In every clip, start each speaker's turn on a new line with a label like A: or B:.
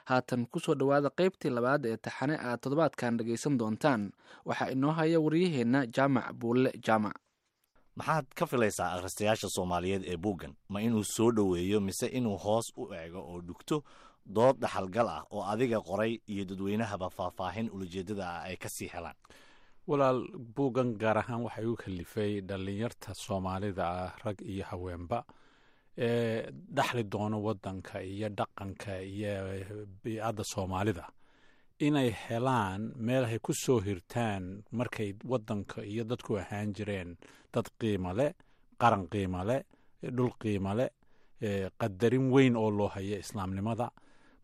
A: Haatan kusoo dhowaada qaybtii labaad ee taxane aad toddobaadkan dhagaysan doontaan. Waxaa inoo haya waryaheenna Jaamac Buulle Jaamac.
B: Maxaad ka filaysaa akhristayaasha Soomaaliyeed ee buuggan? Ma inuu soo dhoweeyo mise inuu hoos u eego oo dhugto dood dhaxalgal ah oo adiga qoray iyo dadweynahaba faahfaahin ulajeeddada ah ay ka sii helaan?
C: Walaal, buuggan gaar ahaan waxaa igu kalifay dhallinyarta Soomaalida ah, rag iyo haweenba, ee dhaxli doono waddanka iyo dhaqanka iyo biicadda Soomaalida, inay helaan meel ay ku soo hirtaan markay waddanka iyo dadku ahaan jireen dad qiimo leh, qaran qiimo leh, dhul qiimo leh, qadarin weyn oo loo hayo islaamnimada.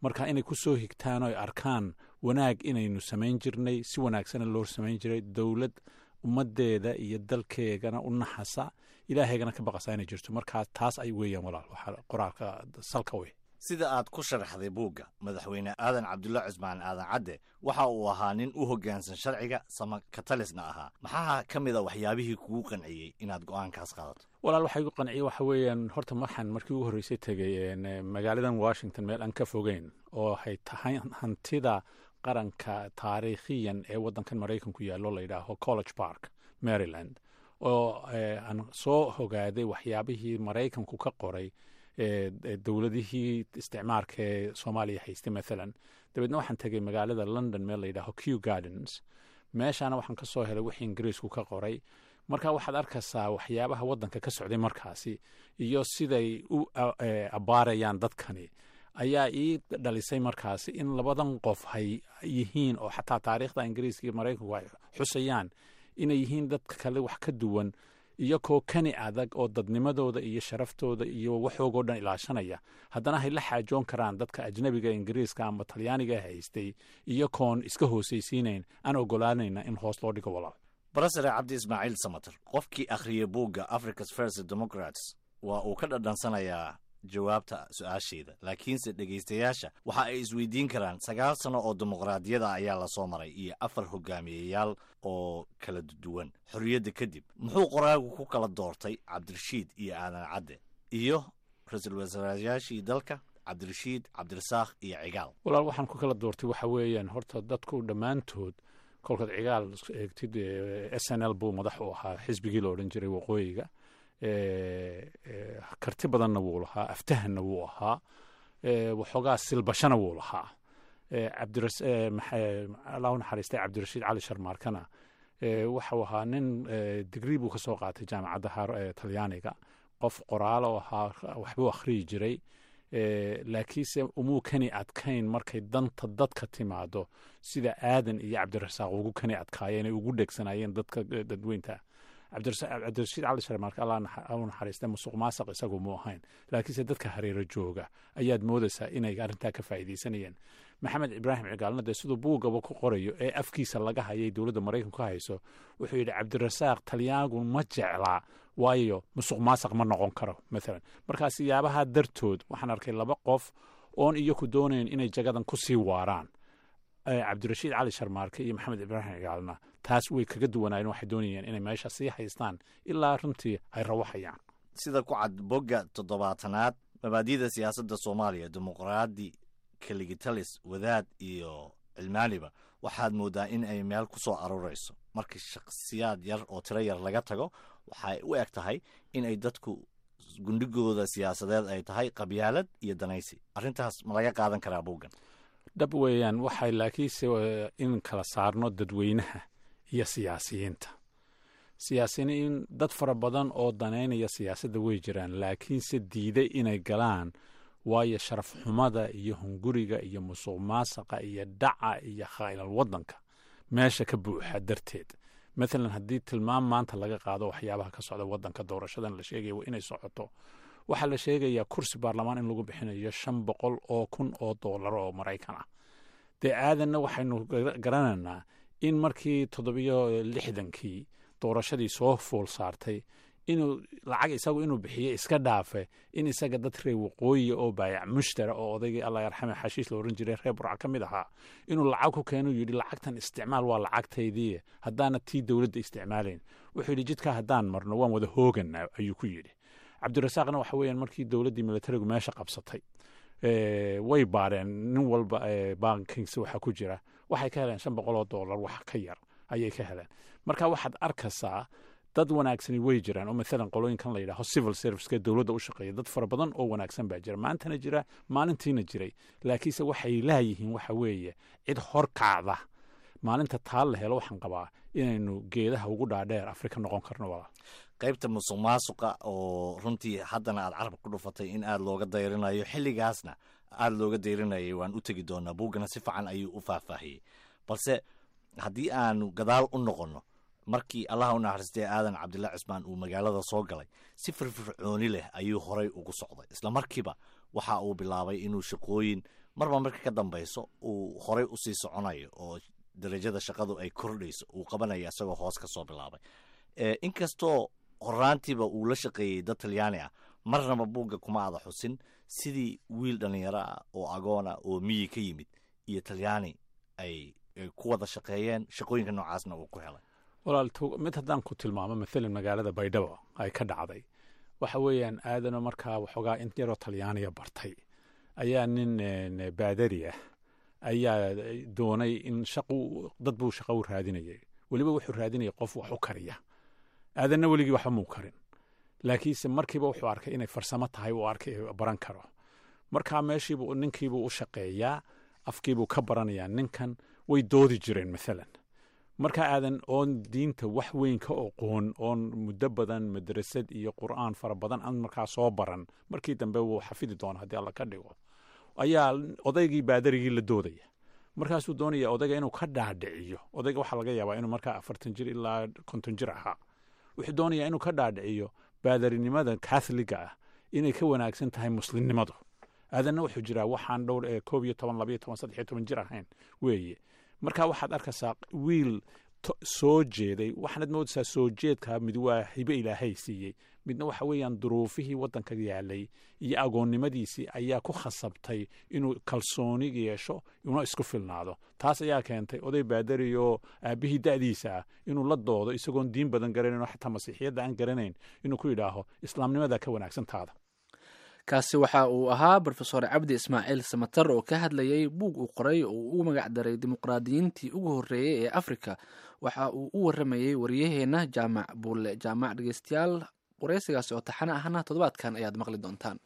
C: Marka inay ku soo higtaan oo ay arkaan wanaag inaynu samayn jirnay, si wanaagsana loo samayn jiray, dowlad ummaddeeda iyo dalkeegana u naxasa, Ilaahaygana ka baqasa inay jirto. Markaa taas ay weeyaan, walaal, waxaa qoraalka salka wey.
B: Sida aad ku sharaxday buugga, Madaxweyne Aadan Cabdulla Cusmaan, Aadan Cadde, waxa uu ahaa nin u hoggaansan sharciga, sama katalisna ahaa. Maxaa ka mid a waxyaabihii kugu qanciyey inaad go'aankaas qaadato?
C: Walaal, waxaa igu qanciyey waxa weeyaan, horta marxan markii ugu horreysay tegey magaaladan Washington, meel aan ka fogeyn oo waxay tahay hantida qaranka taariikhiyan ee waddankan Maraykanku yaallo, la yidhaaho College Park, Maryland, oo aan soo hogaaday waxyaabihii Maraykanku ka qoray dowladihii isticmaarka ee Soomaaliya haystay mathalan. Dabeedna waxaan tegay magaalada London, meel la yidhaaho Kew Gardens. Meeshaana waxaan ka soo helay wixii Ingiriisku ka qoray. Marka waxaad arkaysaa waxyaabaha waddanka ka socday markaasi iyo siday u abbaarayaan dadkani ayaa ii dhalisay markaasi in labadan qof hay yihiin, oo xataa taariikhda Ingiriiska iyo Maraykanku ay xusayaan, inay yihiin dadka kale wax ka duwan, iyakoo kani adag oo dadnimadooda iyo sharaftooda iyo waxoogoo dhan ilaashanaya, haddana hay la xaajoon karaan dadka ajnabiga, Ingiriiska ama Talyaaniga haystay, iyakoon iska hoosaysiinayn, aan ogolaanayna in hoos loo dhigo, walaal.
B: Barasare Cabdi Ismaaciil Samater, qofkii akhriyay buugga Africa's First Democrats waa uu ka dhadhansanayaa jawaabta su-aasheeda, laakiinse dhegaystayaasha waxa ay isweydiin karaan: 9 sano oo dimuqraadiyada ayaa lasoo maray iyo afar hogaamiyeyaal oo kala duwan xorriyadda kadib, muxuu qoraagu ku kala doortay Cabdirashiid iyo Aadan Cadde iyo ra-iisul wasaarayaashii dalka, Cabdirashiid, Cabdirasaakh iyo Cigaal?
C: Walaal, waxaan ku kala doortay waxa weeyaan, horta dadku dhammaantood kolkaad Cigaal eegtid, SNL buu madax u ahaa, xisbigii la odhan jiray waqooyiga. Karti badanna wuu lahaa, aftahanna wuu ahaa, waxoogaa silbashana wuu lahaa. Allahu naxariistay Cabdirashiid Cali Sharmaarkana waxau ahaa nin digrii buu ka soo qaatay jaamacadda Talyaaniga, qof qoraalo ahaa, waxbuu akhriyi jiray, laakiinse umuu kani adkayn markay danta dadka timaado sida Aadan iyo Cabdirasaaq ugu kani adkaayeen ay ugu dhegsanaayeen dadka dadweynta. Cabdirashiid Cali Sharmaarka, Allah u naxariista, musuq maasaq isagu mu ahayn, laakiinse dadka hareero jooga ayaad moodaysaa inay arrintaa ka faa'iidaysanayeen. Maxamed Ibraahim Cigaalna dee siduu buugaba ku qorayo ee afkiisa laga hayay dowladda Maraykanku ka hayso, wuxuu yidhi Cabdirasaaq Talyaanigu ma jeclaa, waayo musuq maasaq ma noqon karo maalan. Markaa siyaabaha dartood waxaan arkay laba qof oon iyaku doonayn inay jagadan ku sii waaraan. Cabdirashiid Cali Sharmaarke iyo Maxamed Ibraahim Cigaalna taas way kaga duwanaayeen, waxay doonayeen inay meesha sii haystaan ilaa runtii ay rawaxayaan.
B: Sida ku cad bogga 70aad, mabaadi'da siyaasadda Soomaaliya, dimuqraadi, keligitalis, wadaad iyo cilmaaniba, waxaad moodaa in ay meel ku soo aruurayso. Marka shakhsiyaad yar oo tiro yar laga tago, waxay u eg tahay in ay dadku gundhigooda siyaasadeed ay tahay qabyaalad iyo danaysi. Arrintaas ma laga qaadan karaa buuggan?
C: Dhab weeyaan. Waxay laakiinse in kala saarno dadweynaha iyo siyaasiyiinta. Siyaasiyiin dad fara badan oo danaynaya siyaasadda way jiraan, laakiinse diiday inay galaan, waayo sharaf xumada iyo hunguriga iyo musuq maasaqa iyo dhaca iyo khaa'ilal waddanka meesha ka buuxa darteed. Mathalan, haddii tilmaam maanta laga qaado waxyaabaha ka socda waddanka, doorashadan la sheegaya waa inay socoto, waxaa la sheegayaa kursi baarlamaan in lagu bixinayo $500,000 oo Maraykan ah. Dee Aadanna waxaynu garanaynaa in markii 67-kii doorashadii soo fool saartay, inuu lacag isagu inuu bixiyo iska dhaafe, in isaga dad reer waqooyiya oo baayac mushtara oo odaygii, Allah yarxame, Xashiish la oran jiray, reer Burca ka mid ahaa, inuu lacag ku keenu, yidhi: "Lacagtan isticmaal, waa lacagtaydii haddaana tii dowladda isticmaalayn." Wuxuu yidhi: "Jidka haddaan marno waan wada hooganaa," ayuu ku yidhi. Cabdirasaaqna waxa weeyaan markii dowladdii militarigu meesha qabsatay Way baareen nin walba bankings waxa ku jira, waxay ka heleen $500 wax ka yar ayay ka heleen. Marka waxaad arkaysaa dad wanaagsani way jiraan, oo maalan qolooyinkan la yidhaaho civil serviceka dowladda u shaqeeya, dad fara badan oo wanaagsan baa jira, maantana jira, maalintiina jiray, laakiinse waxay laayihiin waxa weeye cid hor kacda. Maalinta taa la helo, waxaan qabaa inaynu geedaha ugu dhaadheer Afrika noqon karno, walaal.
B: Qaybta musuq maasuqa oo runtii haddana aad carabka ku dhufatay in aada looga dayrinayo, xilligaasna aada looga dayrinayay, waan u tegi doonaa. Buuggana si fiican ayuu u faahfaahiyey. Balse haddii aanu gadaal u noqonno, markii Allaha u naxariistay Aadan Cabdilla Cismaan uu magaalada soo galay, si firfircooni leh ayuu horay ugu socday. Isla markiiba waxa uu bilaabay inuu shaqooyin marba marka ka dambayso uu horay usii soconayo oo darajada shaqadu ay kordhayso uu qabanaya, isagoo hoos ka soo bilaabay. Inkastoo horaantiiba uu la shaqeeyey dad Talyaani ah, marnaba buugga kuma aada xusin sidii wiil dhallinyaro ah oo agoona oo miyi ka yimid iyo Talyaani ay ku wada shaqeeyeen, shaqooyinka noocaasna uu ku helay.
C: Walaal, mid haddaan ku tilmaamo, maalan magaalada Baydhabo ay ka dhacday, waxa weeyaan Aadano markaa waxoogaa in yaroo Talyaaniya bartay ayaa nin baadari ah ayaa doonay in shaqu, dad buu shaqo u raadinayay. Weliba wuxuu raadinayay qof wax u kariya. Aadanna weligii waxba muu karin, laakiinse markiiba wuxuu arkay inay farsamo tahay, uu arkay baran karo. Markaa meeshiibuu ninkiibuu u shaqeeyaa, afkiibuu ka baranayaa ninkan. Way doodi jireen maalan. Marka Aadan oon diinta wax weyn ka oqoon, oon muddo badan madrasad iyo Qur'aan fara badan aan markaa soo baran, markii dambe wuu xafidi doona haddii Alla ka dhigo, ayaa odaygii baadarigii la doodaya. Markaasuu doonaya odayga inuu ka dhaadhiciyo. Odayga waxaa laga yaabaa inuu markaa 40 jir ilaa 50 jir ahaa. Wuxuu doonayaa inuu ka dhaadhiciyo baadarinimada Katholiga ah inay ka wanaagsan tahay Muslimnimadu. Aadanna wuxuu jiraa waxaan dhowr 11, 12, 13 jir ahayn weeye. Marka waxaad arkaysaa wiil soo jeeday. Waxaanad moodaysaa soo jeedka mid waa hibe Ilaahay siiyey, midna waxa weeyaan duruufihii waddanka yaalay iyo agoonnimadiisii ayaa ku khasabtay inuu kalsooni yeesho, una isku filnaado. Taas ayaa keentay oday baadari oo aabbihii da'diisa ah inuu la doodo, isagoon diin badan garanayn oo xataa Masiixiyadda aan garanayn, inuu ku yidhaaho Islaamnimada ka wanaagsan taada.
A: Kaasi waxa uu ahaa Brofesor Cabdi Ismaaciil Samatar oo ka hadlayay buug uu qoray oo uu ugu magacdaray Dimuqraadiyiintii Ugu Horreeyey ee Afrika. Waxa uu u waramayey wariyaheenna Jaamac Buulle Jaamac. Dhegeystayaal, wareysigaasi oo taxane ahna toddobaadkan ayaad maqli doontaan.